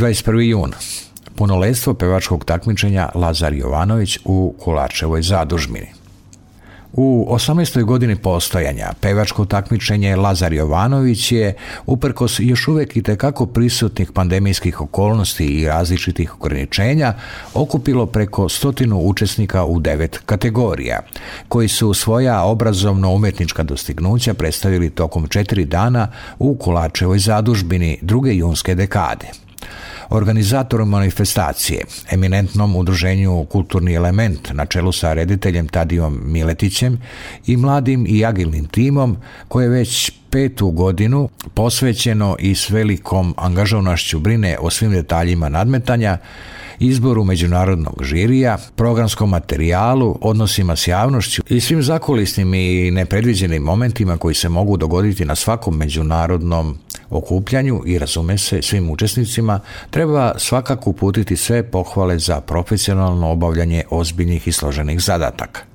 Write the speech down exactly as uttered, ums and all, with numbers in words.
dvadeset prvi jun. Punoletstvo pevačkog takmičenja Lazar Jovanović u Kolarčevoj zadužbini. U osamnaestoj godini postojanja pevačko takmičenje Lazar Jovanović je, uprkos još uvijek itekako prisutnih pandemijskih okolnosti i različitih ograničenja, okupilo preko stotinu učesnika u devet kategorija, koji su svoja obrazovno-umjetnička dostignuća predstavili tokom četiri dana u Kolarčevoj zadužbini druge junske dekade. Organizatorom manifestacije, eminentnom udruženju Kulturni element na čelu sa rediteljem Tadijom Miletićem i mladim i agilnim timom, koje već petu godinu posvećeno i s velikom angažovanošću brine o svim detaljima nadmetanja, izboru međunarodnog žirija, programskom materijalu, odnosima s javnošću i svim zakulisnim i nepredviđenim momentima koji se mogu dogoditi na svakom međunarodnom okupljanju i, razume se, svim učesnicima, treba svakako uputiti sve pohvale za profesionalno obavljanje ozbiljnih i složenih zadataka.